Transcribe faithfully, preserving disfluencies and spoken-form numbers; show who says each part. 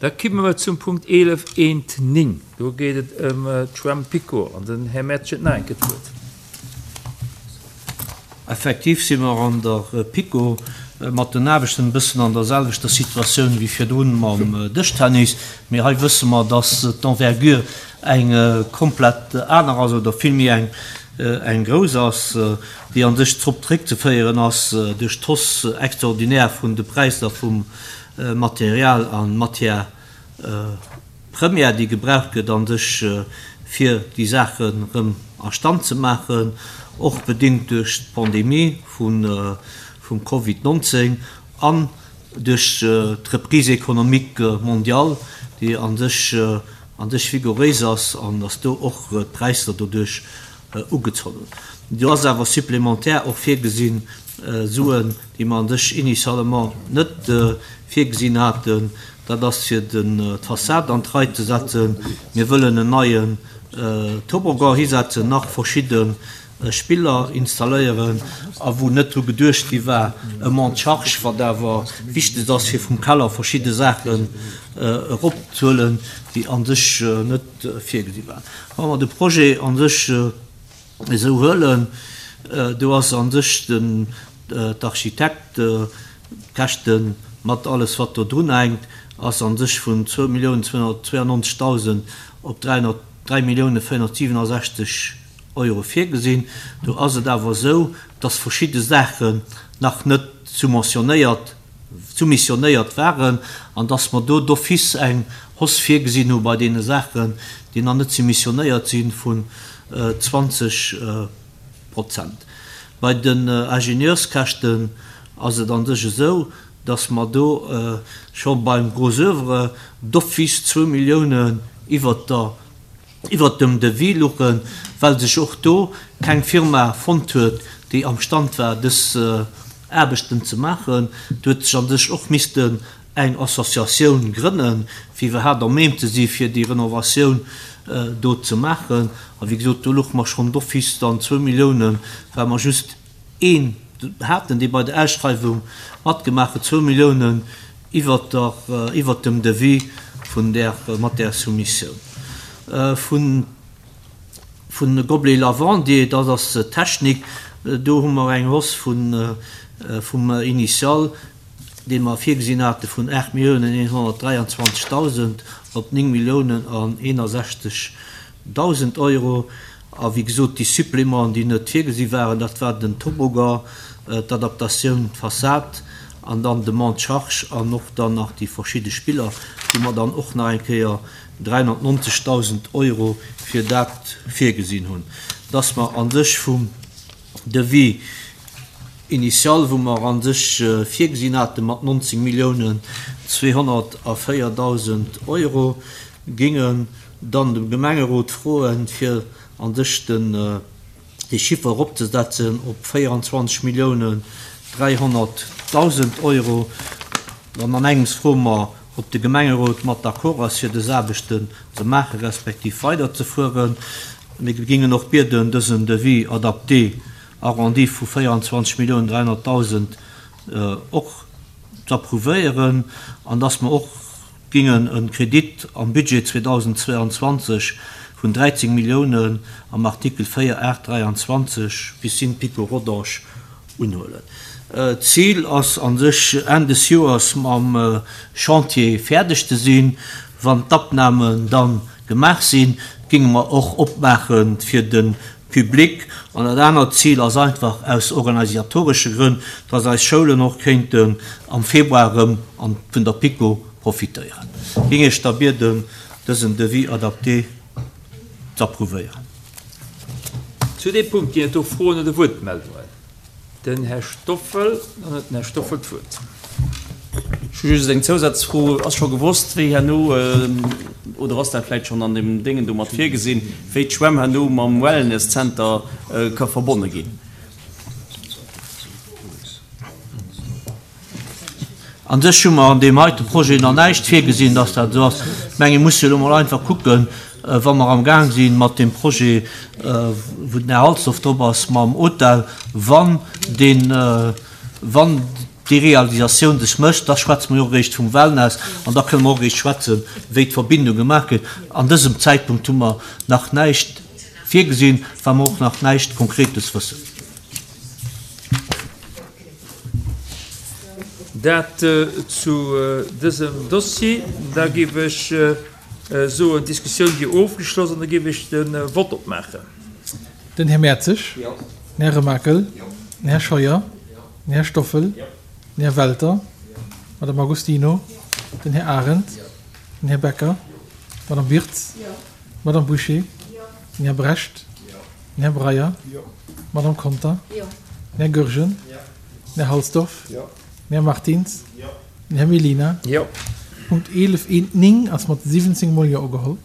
Speaker 1: Da komme mer zum Punkt eelef eent néng. Do geet et ëm d'Schwämm PiKo an den Här Mertsch huet nach eng Kéier d'Wuert.
Speaker 2: Effektiv si mer an der PiKo mat den Aarbechten e bëssen an der selwechter Situatioun wéi virdrun mam Dëschtennis. Mee hei wësse mer, dass d'Envergure eng komplett aner ass oder villméi eng eng grouss ass, déi a sech drop zréckzeféieren ass duerch d'Hausse extraordinaire vun de Präisser vum Material a Matière première, déi gebraucht gëtt a sech fir déi Saachen erëm a Stand ze maachen, och bedéngt duerch d'Pandemie vum Covid nonzéng an duerch d'Reprise économique mondiale, déi a sech a sech vigouréis ass an dass do och d'Präisser doduerch ugezunn hunn. Do ass awer supplémentaire och virgesinn Suen, déi mer a sech initialement net virgesinn haten. Dat ass fir d'Fassad an d'Rei ze setzen. Mir wëllen en neien Toboggan hisetzen, nach verschidde Spiller installéieren a wou net dru geduecht gi war, e Monte-charge, wat awer wichteg ass, fir vum Keller verschidde Saachen eropzehuelen, déi a sech net virgesi waren. Wa mer de Projet a sech esou huelen, do ass a sech den d'Architekt d'Käschte mat alles wat do drun hänkt, ass a sech vun zwou Milliounen zweehunnertzweiundneunzegdausend op dräi Milliounen véierhunnertsiwwenundsechzeg Euro virgesinn. Do ass et awer esou, dass verschidde Saachen nach net soumissionéiert, soumissionéiert waren an dass mer do d'office eng Hausse virgesinn hu bei deene Saachen, déi nach net soumissionéiert sinn, vun zwanzeg Prozent. Bei den Ingenieurskäschten ass et an sech esou, dass mer do scho beim Gros œuvre d'office zwou Milliounen iwwert der iwwert dem Devis luchen, well sech och do keng Firma fonnt huet, déi am Stand war, dës Aarbechten ze maachen. Do huet sech an sech och missten eng Associatioun grënnen, fir iwwerhaapt à même ze si fir déi Renovatioun do ze maachen. A wéi gesot, do luche mer schonn d'office dann zwou Milliounen, well mer just een haten, dee bei der Ausschreiwung matgemaach huet, zwou Milliounen iwwert der, iwwert dem Devis vun där, mat där Soumissioun. Vun, vun Gobelet Lavandier, dat ass d'Technik, do hu mer eng Hausse vun, vum Initial, dee mer virgesinn hate vun aacht Milliounen eenhonnertdräianzwanzegdausend op néng Milliounen an eenundsechzegdausend Euro. A wéi gesot, déi Supplémenten, déi net virgesi waren, dat war den Toboggan, d'Adaptatioun, d'Fassad an dann de Monte-charge an och dann nach déi verschidde Spiller, wou mer dann och nach eng Kéier dräihunnertneunzegdausend Euro fir dat virgesinn hunn. Dass mer an sech vum Devis initial, wou mer an sech virgesinn haten mat neunzehn Milliounen zweehunnertvéierdausend Euro, gingen dann dem Gemengerot froen, fir an sech den, de Chiffer eropzesetzen op vierundzwanzeg Milliounen dreihunderttausend Euro. Dann an engems froen mer, ob de Gemengerot mat d'accord ass, fir des Aarbechten ze maachen, respektiv weiderzefueren. Mir gingen och bieden, dësen Devis adapté, arrondi vu vierundzwanzeg Milliounen dreihunderttausend och z'approuvéieren, an dass mer och gingen en Kredit am Budget zweitausendzweiundzwanzeg vun dreizehn Milliounen am Artikel vier acht dreiundzwanzeg Piscine PiKo Rodange unhuelen. Ziel ass an sech Enn des Joers mam Chantier fäerdeg ze sinn. Wann d'Abnahmen dann gemaach sinn, ginge mer och opmaachen fir den Public. An dat anert Ziel ass einfach aus organisatoresche Grënn, dass eis Schoulen och kéinten am Februar erëm an vun der PiKo profitéieren. Ging ech da bieden, dësen Devis adapté z'approuvéieren.
Speaker 1: Zu dem Punkt ginn et do Froen oder Wuertmeldungen. Den Här Stoffel, dann huet den Här Stoffel d'Wuert.
Speaker 3: Ech hu just eng Zousazfro. Ass scho gewosst, wéi herno, oder ass dat vläicht schonn an dem Déngen do mat virgesinn, wéi d'Schwämm herno mam Wellness Center ka verbonne ginn?
Speaker 2: An sech hu mer an deem heite Projet nach näischt virgesinn, dass dat esou ass. Ech menge, mir musse jo elo mol einfach kucken, wa mer am Gaang sinn mat deem Projet, wou den Här Halsdorf drop ass, mam Hotel, wann deen, wann déi Realisatioun sech mécht, da schwätze mer jo och eréischt vum Wellness an da kënne mer och eréischt schwätzen, wéi d'Verbindung gemaach gëtt. An dësem Zäitpunkt hu mer nach näischt virgesinn, well mer och nach näischt Konkretes wëssen.
Speaker 1: Dat zu dësem Dossier. Da géif ech soen, d'Diskussioun wier ofgeschloss an da géif ech de Vott opmaachen.
Speaker 4: Den Här Mertzig. Den Här Remakel. Den Här Scheuer. Den Här Stoffel. Den Här Welter. D'Madame Agostino. Den Här Arendt. Den Här Becker. D'Madame Wirtz. D'Madame Bouché. Den Här Brecht. Den Här Breyer. D'Madame Conter. Den Här Goergen. Den Här Halsdorf. Den Här Martins. Den Här Mellina. Punkt eelef eent néng ass mat siwwenzéng mol Jo ugeholl.